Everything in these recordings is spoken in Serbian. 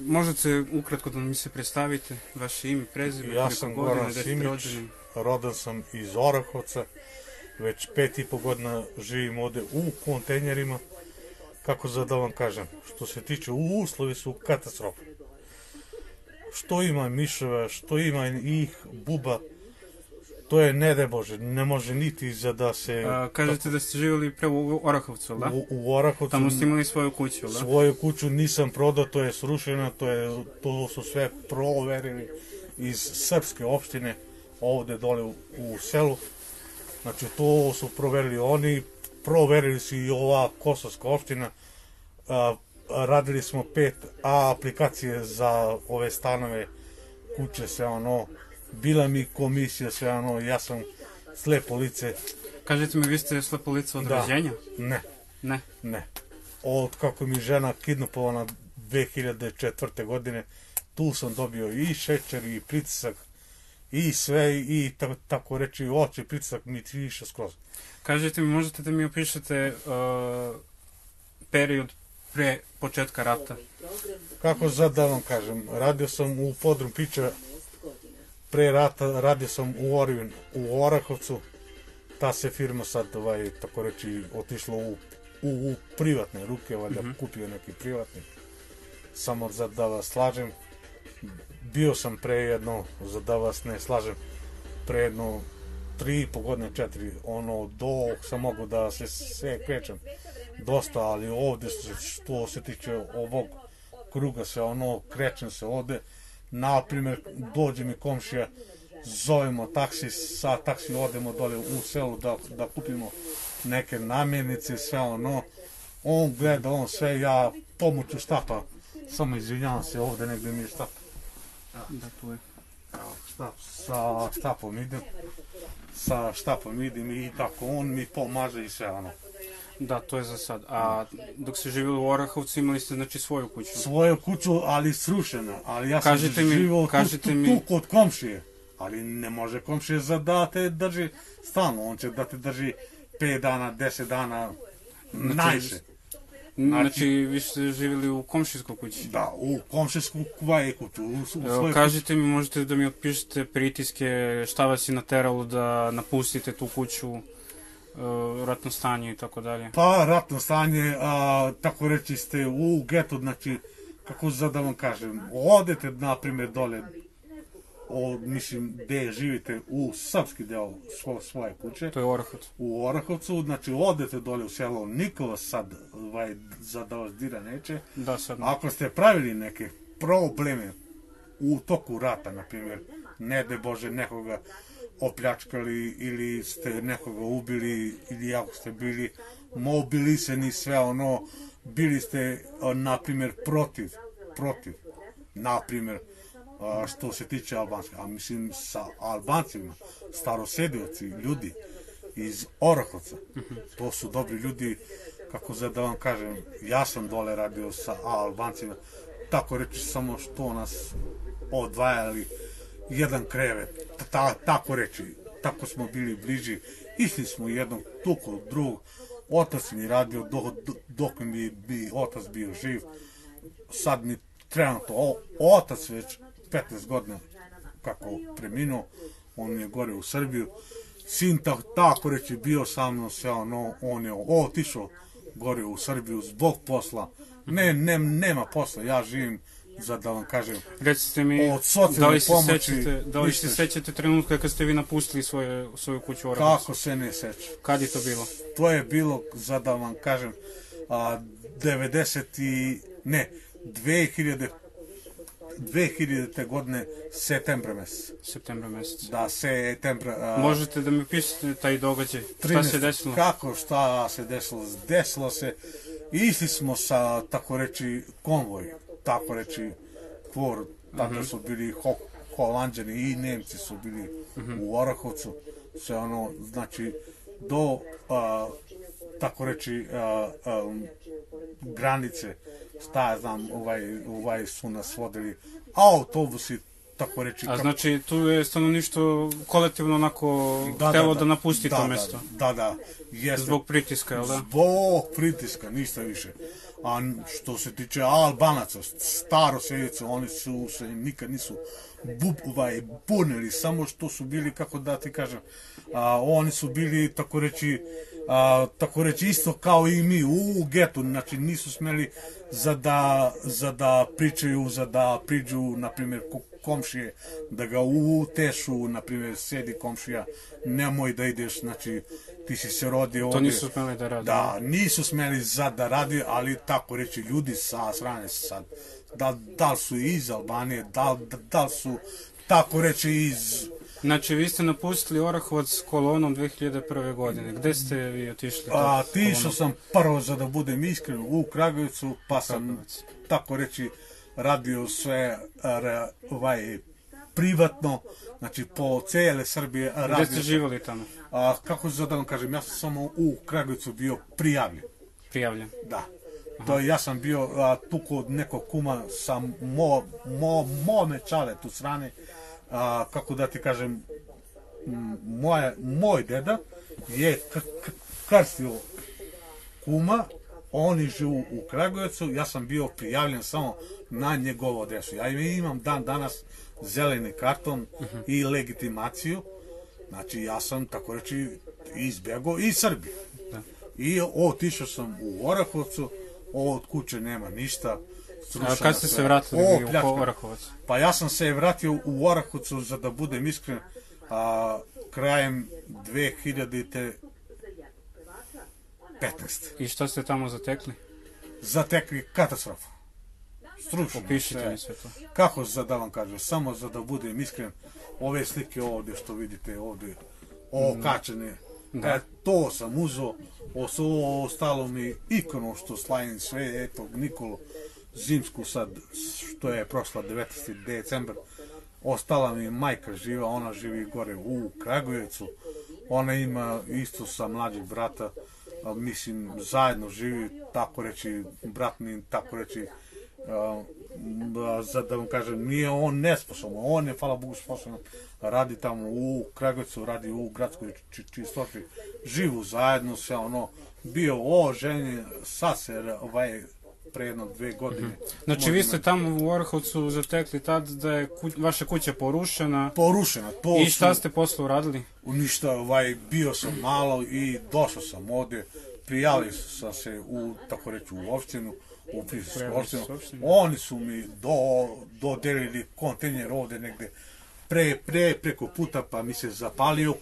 Možete ukratko da mi se predstavite, vaše ime, prezime, Ja sam Goran Simić, rodan sam iz Orahovca, već 5,5 godina živim ovde u kontejnerima. Kako da vam kažem, što se tiče uslovi su katastrofa. Što ima miševa, što ima ih buba, to je ne daj Bože, ne može niti za da se... Kažete da ste živjeli pre u Orahovcu, da? U Orahovcu. Tamo ste imali svoju kuću, da? Svoju kuću nisam prodao, to je srušeno, to su sve proverili iz srpske opštine, ovde dole u selu. Znači to su proverili oni, proverili su i ova kosovska opština. Radili smo 5 aplikacije za ove stanove, kuće, sve ono. Bila mi komisija, sve ono, ja sam slepo lice. Kažete mi, vi ste slepo lice od rođenja? Ne. Ne? Ne. Od kako mi žena kidnapovana 2004. godine, tu sam dobio i šećer, i pritisak, i sve, i tako reći, oči pritisak mi više skroz. Kažete mi, možete da mi opišete period pre početka rata? Kako da vam kažem, radio sam u podrum Pića, pre rata radio sam u Orivin, u Orahovcu, ta se firma sad, tako reći, otišla u privatne ruke, valjda kupio neki privatnik. Samo da vas slažem, bio sam pre jedno, da vas ne slažem, pre jedno 3,5 godine, 4, ono, dok sam mogu da se krećem dosta, ali ovde, što se tiče ovog kruga, se ono, krećem se ovde, naprimjer, dođe mi komšija, zovemo taksi, sa taksi odemo dole u selu da kupimo neke namirnice, sve ono, on gleda, on sve, ja pomoću štapa, samo izvinjavam se, ovde negde mi je štap. Da, tu je. Sa štapom idem i tako, on mi pomaže i sve ono. Da, to je za sad. A dok ste živjeli u Orahovcu, imali ste, znači, svoju kuću? Svoju kuću, ali srušena, ali ja sam živio tu kod komšije. Ali ne može komšije da te drži stalno, on će da te drži 5 dana, 10 dana, najviše. Znači, vi ste živjeli u komšijskoj kući? Da, u komšijskoj kuću. Kažete mi, možete da mi opišete pritiske, šta vas je nateralo da napustite tu kuću, ratno stanje i tako dalje? Pa, ratno stanje, tako reći ste u getu, znači, kako da vam kažem, odete, na primjer, dole, mislim, gde živite u srpski deo svoje kuće. To je Orahovac. U Orahovcu, znači, odete dole u selo, niko vas sad, da vas dira neće. Da, sad. Ako ste pravili neke probleme u toku rata, na primjer, ne de Bože, nekoga opljačkali ili ste nekoga ubili ili ako ste bili mobilisani, sve ono, bili ste, na primjer, protiv, na primjer, što se tiče Albanske, a mislim sa Albancima, starosedioci, ljudi iz Orahovca, to su dobri ljudi, kako da vam kažem, ja sam dole radio sa Albancima, tako reći, samo što nas odvajali jedan krevet, tako reći, tako smo bili bliži, išli smo jednog tuku drugog, otac mi radio dok mi bi otac bio živ, sad mi trenutno otac već 15 godina kako preminuo, on je gore u Srbiju, sin tako reći bio sa mnom, sve ono, on je otišao gore u Srbiju zbog posla, nema posla, ja živim, da vam kažem, recite mi, od socijalne pomoći. Da li se sećate trenutka kad ste vi napustili svoju kuću u Orahovcu? Kako se ne sećam. Kad je to bilo? To je bilo, da vam kažem, 2000. godine, septembra mesec. Septembra mesec. Da, septembra. Možete da mi opišete taj događaj? Šta se desilo? Šta se desilo? Desilo se, išli smo sa, tako reći, konvoj, tako reći, kvor, tada su bili Holanđani i Nemci su bili u Orahovcu, sve ono, znači, do, tako reći, granice, šta ja znam, su nas vodili autobusi, tako reći. A znači, tu je stanovništvo kolektivno onako htelo da napusti to mesto? Da, jeste. Zbog pritiska, jel da? Zbog pritiska, ništa više. A što se tiče Albanaca, staroseljaca, oni su se nikad nisu bunili, samo što su bili, kako da ti kažem, oni su bili, tako reći isto kao i mi u getu, znači nisu smeli za da pričaju, za da priđu, na primjer, komšije, da ga utešu, na primjer, sedi komšija, nemoj da ideš, znači, ti si se rodio ovdje. To nisu smeli da radi. Da, nisu smeli da radi, ali tako reći, ljudi sa strane sad, da li su iz Albanije, da li su, tako reći, iz... Znači, vi ste napustili Orahovac kolonom 2001. godine. Gde ste vi otišli? Otišao sam prvo, za da budem iskren, u Kragujevacu, pa sam, tako reći, radio sve privatno, znači po cijele Srbije. Gde ste živjeli tamo? Kako se da vam kažem, ja sam samo u Kragujevcu bio prijavljen. Prijavljen? Da. To ja sam bio tu kod nekog kuma sa mome čale tu strane, kako da ti kažem, moj deda je krstio kuma, oni živu u Kragujevcu, ja sam bio prijavljen samo na njegovu adresu. Ja imam dan danas zeleni karton i legitimaciju, znači ja sam, tako reći, izbjegao iz Srbije. I otišao sam u Orahovcu, od kuće nema ništa. A kad ste se vratili u Orahovac? Pa ja sam se vratio u Orahovcu, za da budem iskren, krajem 2015. I što ste tamo zatekli? Zatekli katastrofu. Stručno. Opišite mi sve to. Kako da vam kažem, samo za da budem iskren, ove slike ovdje što vidite ovdje, okačene, to sam uzeo, ostalo mi ikonu što slavim sve, eto, Nikolu Zimsku sad, što je prošla 19. decembar, ostala mi majka živa, ona živi gore u Kragujevcu, ona ima isto sa mlađeg brata, mislim, zajedno živi, tako reći, brat mi, tako reći, da vam kažem, nije on nesposoban, on je, hvala Bogu, sposoban, radi tamo u Kragujevcu, radi u gradskoj čistoći, živu zajedno, sve ono, bio oženjen, sad se, pre jedno 2 godine. Znači, vi ste tamo u Orahovcu zatekli tad da je vaša kuća porušena. Porušena, to i šta ste posle uradili? Ništa, bio sam malo i došao sam ovdje, prijavio sam se u, tako reći, u opštinu, u Prištinsku opštinu. Oni su mi dodelili kontejner ovdje negde preko puta, pa mi se zapalio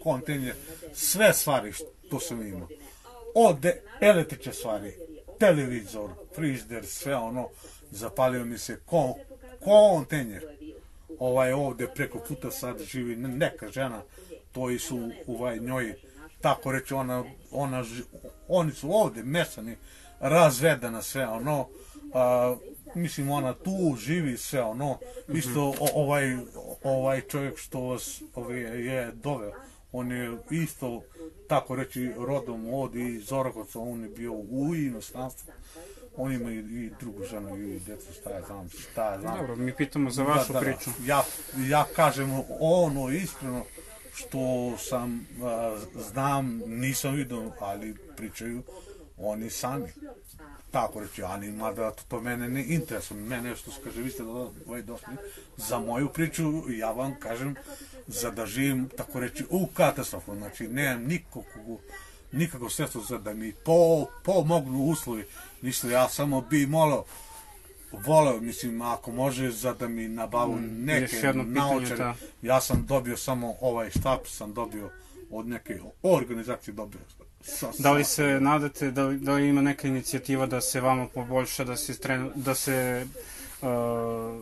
kontejner, sve stvari što sam imao. Od električne stvari, televizor, frižider, sve ono, zapalio mi se kontejner. Ovdje preko puta sad živi neka žena, to su njoj, tako reći, oni su ovdje mesani, razvedana, sve ono, mislim, ona tu živi, sve ono, isto ovaj čovjek što vas je doveo, on je isto, tako reći, rodom ovdje iz Orahovca, on je bio u inostranstvu. On ima i drugu ženu i djecu, šta ja znam. Dobro, mi pitamo za vašu priču. Ja kažem ono iskreno što sam, znam, nisam vidio, ali pričaju oni sami. Tako reći, ali mada to mene ne interesuje. Mene što se kaže, vi ste došli za moju priču, ja vam kažem, za da živim, tako reći, u katastrofu. Znači, nemam nikako sredstvo za da mi pomognu uslovi. Ništa, ja samo bi voleo, mislim, ako može, za da mi nabavu neke naočare. Ja sam dobio samo ovaj štap, sam dobio od neke organizacije dobio. Da li se nadate, da li ima neka inicijativa da se vama poboljša, da se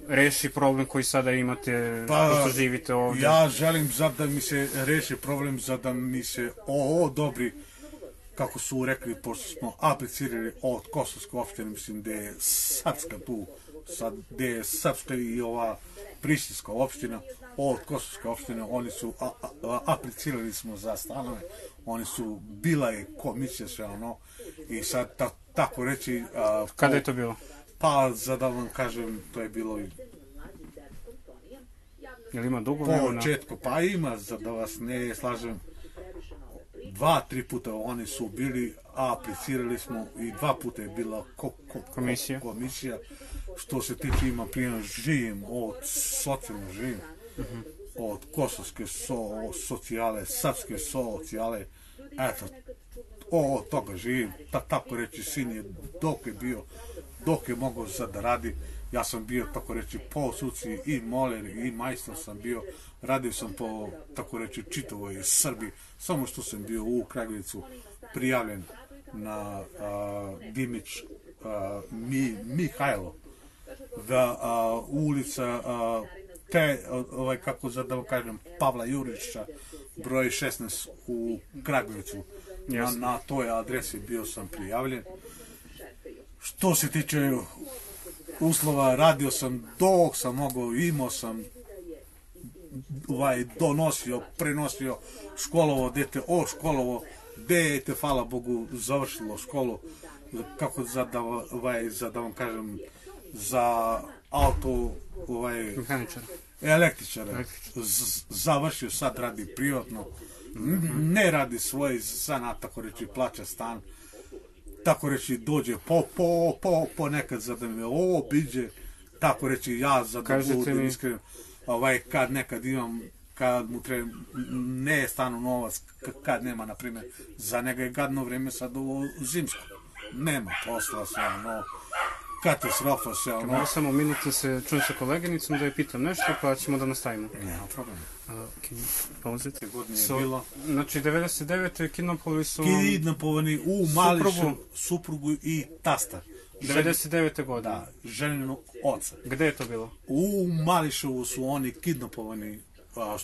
reši problem koji sada imate, što živite ovdje? Ja želim da mi se reši problem, da mi se odobri, kako su rekli, pošto smo aplicirali od Kosovske opštine, mislim, gde je Srpska tu, gde je Srpska i ova Prištinska opština, od Kosovske opštine, oni su, aplicirali smo za stanove, oni su, bila je komisija, sve ono, i sad, tako reći... Kada je to bilo? Pa, da vam kažem, to je bilo... Jel ima dugo vremena? Po početku, pa ima, da vas ne slažem, 2-3 puta oni su bili, a aplicirali smo i 2 puta je bila komisija. Što se tiče, ima primjer, živim od socijalno živim, od kosovske socijale, srpske socijale, eto, od toga živim, tako reći, sin je dok je mogao da radi, ja sam bio, tako reći, po suci i moler i majstor sam bio, radio sam po, tako reći, čitavoj Srbiji, samo što sam bio u Kragujevcu prijavljen na Dimić Mihajlo, da ulica te, kako da vam kažem, Pavla Jurića, broj 16 u Kragujevcu, na toj adresi bio sam prijavljen. Što se tiče uslova, radio sam dok sam mogao, imao sam donosio, prenosio, školovo dete, školovo dete, hvala Bogu, završilo školu, kako da vam kažem, za auto, električara, završio, sad radi privatno, ne radi svoj zanat, tako reći, plaća stan, tako reći, dođe ponekad za da me obiđe, tako reći, ja za da budem iskren, kad nekad imam, kad mu treba, ne stanu novac, kad nema, na primjer, za njega je gadno vreme sad ovo zimsko, nema posla, sve ono, katastrofa, sve ono. Mogu samo minut da se čujem sa koleginicom, da je pitam nešto, pa ćemo da nastavimo. Nema problema. Pauzite. Godine je bilo. Znači, 99. kidnapovali su... Kidnapovani u Mališu, suprugu i tasta. 99. godine. Da, ženinog oca. Gde je to bilo? U Mališovu su oni kidnapovani.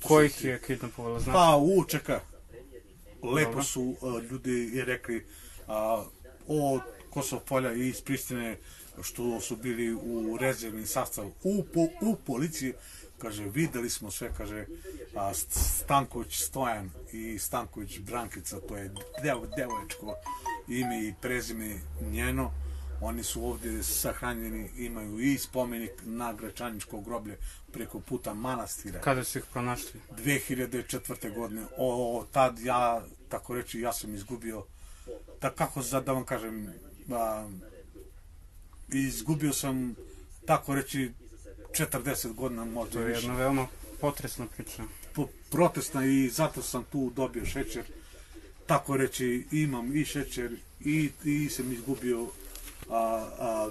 Ko ih je kidnapovalo, znači? Pa, u Čeka. Lepo su ljudi rekli od Kosovopolja i iz Pristine, što su bili u rezervni sastav u policiji, kaže, videli smo sve, kaže, Stanković Stojan i Stanković Brankica, to je devoječko ime i prezime njeno, oni su ovdje sahranjeni, imaju i spomenik na Gračaničko groblje preko puta manastira. Kada su ih pronašli? 2004. godine. Tad ja, tako reći, ja sam izgubio, kako da vam kažem, izgubio sam, tako reći, 40 godina možda više. To je jedna veoma potresna priča. Protestna, i zato sam tu dobio šećer. Tako reći, imam i šećer i sam izgubio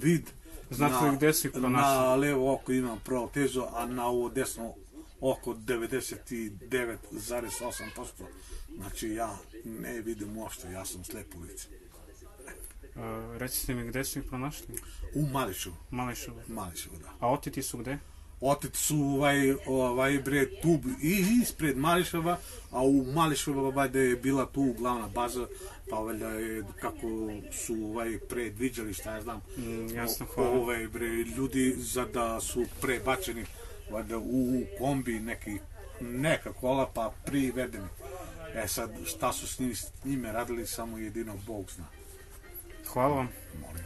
vid. Znate li gde si ih pronašli? Na levo oko imam protezu, a na ovo desno oko 99,8%. Znači ja ne vidim uopšte, ja sam slepo lice. Recite mi, gde su ih pronašli? U Mališovu. Mališovu, da. A oteti su gde? Oteti su tu i ispred Mališova, a u Mališova valjda je bila tu glavna baza, pa valjda je kako su predviđali, šta ja znam, jasno, hvala. Ljudi za da su prebačeni valjda u kombi neka kola, pa privedeni. Sad, šta su s njime radili, samo jedino Bog zna. Hvala vam. Molim.